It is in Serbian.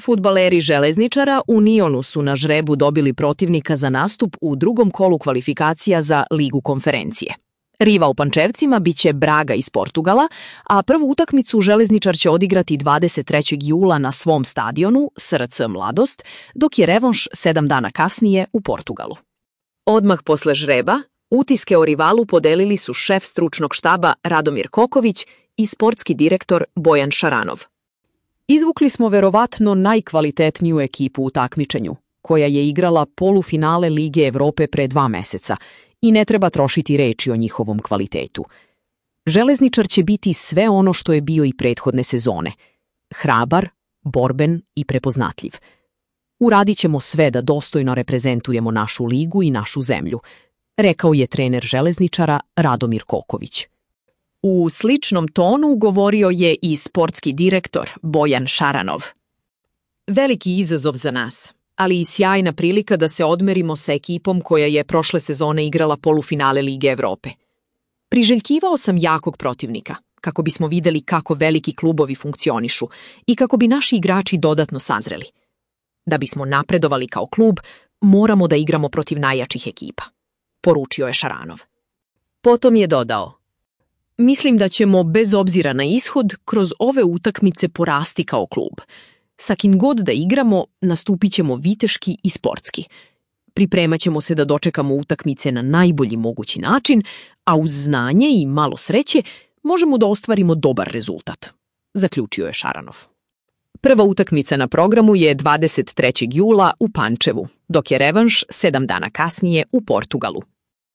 Fudbaleri Železničara u Nionu su na žrebu dobili protivnika za nastup u drugom kolu kvalifikacija za Ligu konferencije. Rival Pančevcima biće Braga iz Portugala, a prvu utakmicu Železničar će odigrati 23. jula na svom stadionu SRC Mladost, dok je revanš 7 dana kasnije u Portugalu. Odmah posle žreba, utiske o rivalu podelili su šef stručnog štaba Radomir Koković i sportski direktor Bojan Šaranov. Izvukli smo verovatno najkvalitetniju ekipu u takmičenju, koja je igrala polufinale Lige Evrope pre 2 meseca i ne treba trošiti reči o njihovom kvalitetu. Železničar će biti sve ono što je bio i prethodne sezone. Hrabar, borben i prepoznatljiv. Uradit ćemo sve da dostojno reprezentujemo našu ligu i našu zemlju, rekao je trener Železničara Radomir Koković. U sličnom tonu govorio je i sportski direktor Bojan Šaranov. Veliki izazov za nas, ali i sjajna prilika da se odmerimo sa ekipom koja je prošle sezone igrala polufinale Lige Evrope. Priželjkivao sam jakog protivnika, kako bismo videli kako veliki klubovi funkcionišu i kako bi naši igrači dodatno sazreli. Da bismo napredovali kao klub, moramo da igramo protiv najjačih ekipa, poručio je Šaranov. Potom je dodao: mislim da ćemo, bez obzira na ishod, kroz ove utakmice porasti kao klub. Sa kim god da igramo, nastupit ćemo viteški i sportski. Pripremat ćemo se da dočekamo utakmice na najbolji mogući način, a uz znanje i malo sreće možemo da ostvarimo dobar rezultat, zaključio je Šaranov. Prva utakmica na programu je 23. jula u Pančevu, dok je revanš 7 dana kasnije u Portugalu.